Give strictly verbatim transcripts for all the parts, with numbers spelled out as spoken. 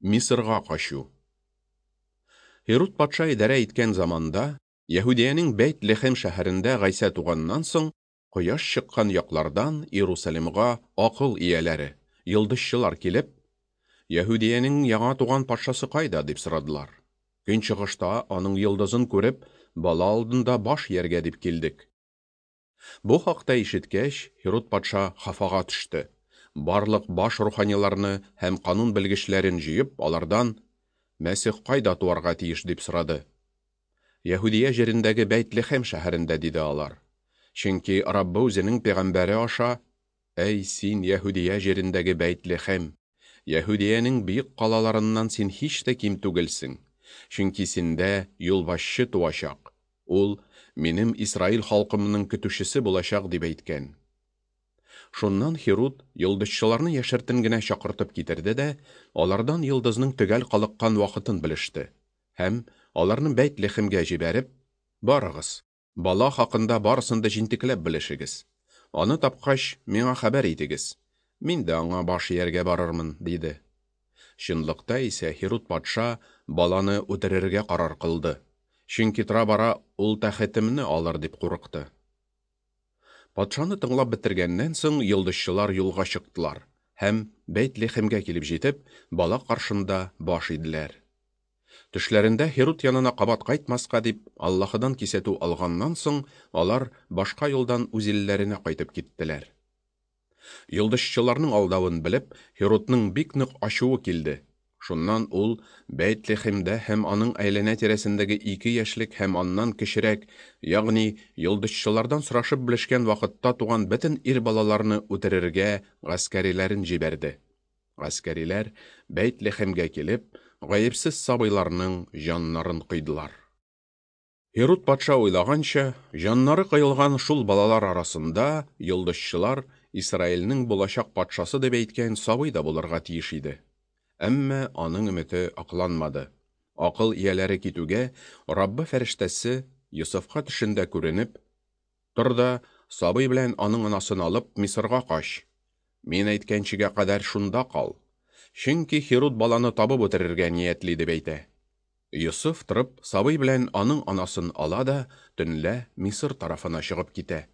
Мисырга качу. Һируд патша идарә иткән заманда, Яһүдиянең Бәйт-Лехем шәһәрендә Гайсә туганнан соң, кояш чыккан яклардан Иерусалимга акыл ияләре, йолдызчылар килеп, Яһүдиянең яңа туган патшасы кайда, дип сорадылар. Көнчыгышта аның йолдызын күреп, бала алдында баш ияргә дип килдек. Бу хакта ишеткәч, Һируд патша хафага төште. Барлык баш руханиларны һәм канун белгечләрен җыеп, алардан Мәсих кайда туарга тиеш дип сорады. Яһүдия җирендәге Бәйт-Лехем шәһәрендә, диде алар. Чөнки Раббы үзенең пәйгамбәре аша: "Әй син, Яһүдия җирендәге Бәйт-Лехем, Яһүдиянең бөек калаларыннан син һич тә ким түгелсең, чөнки синдә юлбашчы туачак. Ул минем Исраил халкымның көтүчесе булачак", дип әйткән. Шуннан Һируд йолдызчыларны яшертен генә чакыртып китерде дә, алардан йолдызның төгәл калыккан вакытын белеште. Һәм аларны Бәйт-Лехемгә җибәреп: "Барыгыз, бала хакында барысын да җентекләп белешегез. Аны тапкач, миңа хәбәр итегез. Мин дә аңа баш ияргә барырмын", диде. Чынлыкта исә Һируд патша баланы үтерергә карар кылды. Чөнки тора-бара ул тәхетемне алыр дип курыкты. Патшаны тыңлап бетергәннән соң йолдызчылар юлга чыктылар һәм Бәйт-Лехемгә килеп җитеп, бала каршында баш иделәр. Төшләрендә Һируд янына кабат кайтмаска дип Аллаһыдан кисәтү алганнан соң, алар башка юлдан үз илләренә кайтып киттеләр. Йолдызчыларның алдавын белеп, Һирудның бик нык ачуы килде. Шуннан ул Бәйт-Лехемдә һәм аның әйләнә-тирәсендәге ике яшьлек һәм аннан кечерәк, ягъни йолдызчылардан сорашып белешкән вакытта туган бөтен ир балаларны үтерергә гаскәриләрен җибәрде. Гаскәриләр Бәйт-Лехемгә килеп, гаепсез сабыйларның җаннарын кыйдылар. Һируд патша уйлаганча, җаннары кыелган шул балалар арасында йолдызчылар Исраилнең булачак патшасы дип әйткән сабый да булырга тиеш иде. Әмма аның өмете акланмады. Акыл ияләре китүгә, Раббы фәрештәсе Йосыфка төшендә күренеп: "Тор да, сабый белән аның анасын алып, Мисырга кач. Мин әйткәнчегә кадәр шунда кал. Чөнки Һируд баланы табып үтерергә ниятли", дип әйтә. Йосыф торып, сабый белән аның анасын ала да, төнлә Мисыр тарафына чыгып китә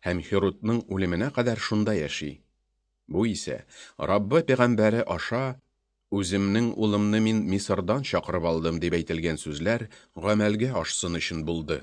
һәм Һирудның үлеменә кадәр шунда яши. Бу исә Раббы пәйгамбәре аша "Үземнең улымны мин Мисырдан чакырып алдым" дип әйтелгән сүзләр гамәлгә ашсын өчен булды.